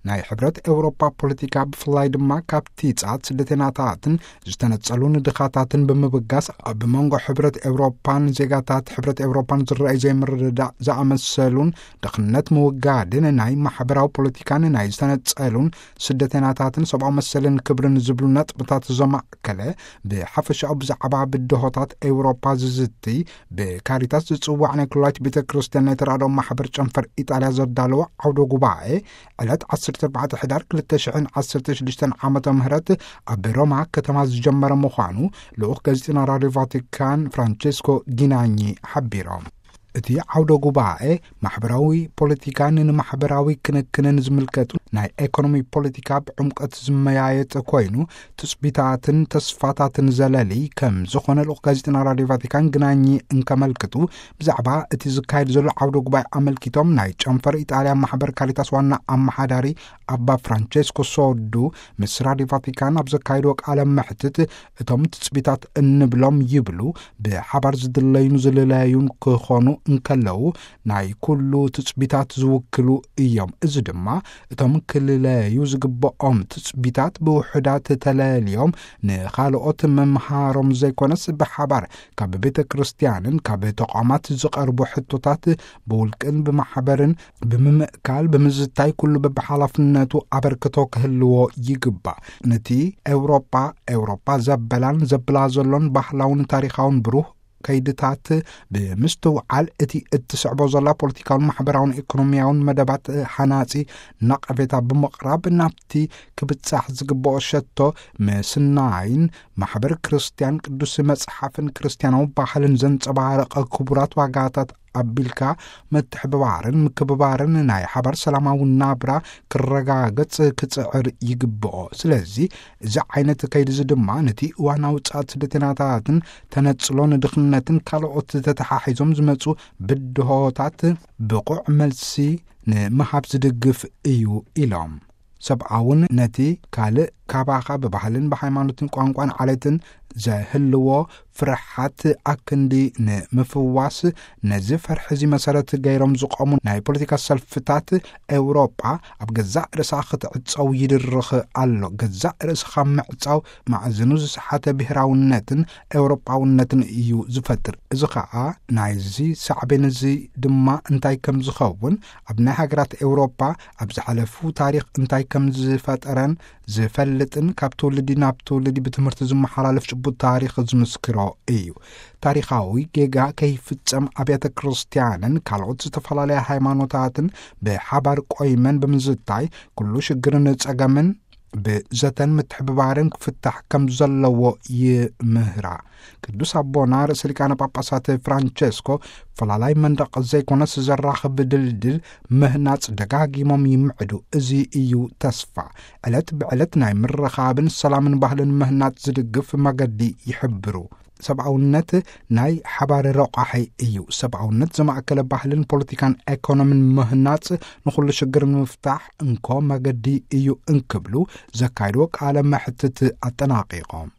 ናይ ሕብረት ኤውሮጳ ፖለቲካ፣ ብፍላይ ድማ ካብቲ ጻት ስደተናታትን ዝተነጸሉን ድኻታትን ብምብጋስ፣ ኣብ መንጎ ሕብረት ኤውሮጳን ዜጋታት ሕብረት ኤውሮጳን ዝረኣይ ዘይምርድዳእ ዝኣመሰሉን፣ ድኽነት ምውጋድን ናይ ማሕበራዊ ፖለቲካን ናይ ዝተነጸሉን ስደተናታትን ሰብኣዊ መሰልን ክብርን ዝብሉ ነጥብታት ዘማእከለ፣ ብሓፈሻኡ ብዛዕባ ብድሆታት ኤውሮጳ ዝዝቲ፣ ብካሪታስ ዝጽዋዕ ናይ ኩላይት ቤተ ክርስቲያን ናይ ተራድኦ ማሕበር ጨንፈር ኢጣልያ ዘዳለወ ዓውደ ጉባኤ፣ ዕለት ዓሰርተ ኣርባዕተ ሕዳር ክልተ ሽሕን ዓሰርተ ሽዱሽተን ዓመተ ምህረት ኣብ ሮማ ከተማ ዝጀመረ ምዃኑ ልኡኽ ጋዜጠና ራድዮ ቫቲካን ፍራንቸስኮ ጊናኚ ሓቢሮም። እቲ ዓውደ ጉባኤ ማሕበራዊ ፖለቲካን ንማሕበራዊ ክንክንን ዝምልከቱ ናይ ኤኮኖሚ ፖለቲካ ብዕምቀት ዝመያየጥ ኮይኑ፣ ትጽቢታትን ተስፋታትን ዘለሊ ከም ዝኾነ ልኡኽ ጋዜጠና ራድዮ ቫቲካን ግናኚ እንከመልክቱ፣ ብዛዕባ እቲ ዝካየድ ዘሎ ዓውደ ጉባኤ ኣመልኪቶም ናይ ጨንፈር ኢጣልያ ማሕበር ካሪታስ ዋና ኣመሓዳሪ ኣባ ፍራንቸስኮ ሶዱ ምስ ራድዮ ቫቲካን ኣብ ዘካየድዎ ቃለ መሕትት፣ እቶም ትጽቢታት እንብሎም ይብሉ ብሓባር ዝድለዩን ዝልለዩን ክኾኑ እንከለዉ፣ ናይ ኩሉ ትጽቢታት ዝውክሉ እዮም። እዚ ድማ እቶም ክልለዩ ዝግብኦም ትጽቢታት ብውሑዳት ተለልዮም ንኻልኦት ምምሃሮም ዘይኮነስ፣ ብሓባር ካብ ቤተ ክርስቲያንን ካብ ተቋማት ዝቐርቡ ሕቶታት ብውልቅን ብማሕበርን ብምምእካል፣ ብምዝታይ፣ ኩሉ በብሓላፍነቱ ኣበርክቶ ክህልዎ ይግባእ። ነቲ ኤውሮጳ፣ ኤውሮጳ ዘበላን ዘብላ ዘሎን ባህላውን ታሪኻውን ብሩህ ከይድታት ብምስትውዓል፣ እቲ እትስዕቦ ዘላ ፖለቲካውን ማሕበራውን ኢኮኖሚያውን መደባት ሓናጺ ነቐፌታ ብምቕራብ፣ ናብቲ ክብጻሕ ዝግብኦ ሸቶ ምስናይን፣ ማሕበር ክርስቲያን ቅዱስ መጽሓፍን ክርስቲያናዊ ባህልን ዘንጸባረቐ ክቡራት ዋጋታት ኣቢልካ ምትሕብባርን ምክብባርን ናይ ሓባር ሰላማዊ ናብራ ክረጋገጽ ክጽዕር ይግብኦ። ስለዚ እዚ ዓይነት ከይዲ እዚ ድማ ነቲ እዋናዊ ጻት ስደተናታትን ተነጽሎ ንድኽነትን ካልኦት ተተሓሒዞም ዝመጹ ብድሆታት ብቑዕ መልሲ ንምሃብ ዝድግፍ እዩ ኢሎም። ሰብኣውን ነቲ ካልእ ካባኻ ብባህልን ብሃይማኖትን ቋንቋን ዓሌትን ዘህልዎ ፍርሓት ኣክንዲ ንምፍዋስ፣ ነዚ ፈርሒ እዚ መሰረት ገይሮም ዝቖሙ ናይ ፖለቲካ ሰልፍታት ኤውሮጳ ኣብ ገዛእ ርእሳ ክትዕጸው ይድርኽ ኣሎ። ገዛእ ርእስኻ ምዕጻው ማዕዝኑ ዝሰሓተ ብሄራውነትን ኤውሮጳውነትን እዩ ዝፈጥር። እዚ ኸኣ ናይዚ ሳዕቤን እዚ ድማ እንታይ ከም ዝኸውን፣ ኣብ ናይ ሃገራት ኤውሮጳ ኣብ ዝሓለፉ ታሪኽ እንታይ ከም ዝፈጠረን ዝፈልጥን፣ ካብ ትውልዲ ናብ ትውልዲ ብትምህርቲ ዝመሓላለፍ ጭቡጥ ታሪኽ ዝምስክሮ እዩ። ታሪኻዊ ጌጋ ከይፍጸም፣ ኣብያተ ክርስቲያንን ካልኦት ዝተፈላለያ ሃይማኖታትን ብሓባር ቆይመን ብምዝታይ፣ ኩሉ ሽግርን ጸገምን ብዘተን ምትሕብባርን ክፍታሕ ከም ዘለዎ ይምህራ። ቅዱስ ኣቦና ርእሰ ሊቃነ ጳጳሳት ፍራንቸስኮ፣ ፈላላይ መንደቕ ዘይኮነስ ዘራኽብ ድልድል ምህናጽ ደጋጊሞም ይምዕዱ። እዚ እዩ ተስፋ። ዕለት ብዕለት ናይ ምርኻብን ሰላምን ባህልን ምህናጽ ዝድግፍ መገዲ ይሕብሩ። ሰብኣውነት ናይ ሓባር ረቋሒ እዩ። ሰብኣውነት ዘማእከለ ባህልን ፖለቲካን ኤኮኖምን ምህናጽ ንኹሉ ሽግር ንምፍታሕ እንኮ መገዲ እዩ እንክብሉ ዘካየድዎ ቃለ መሕትት ኣጠናቒቖም።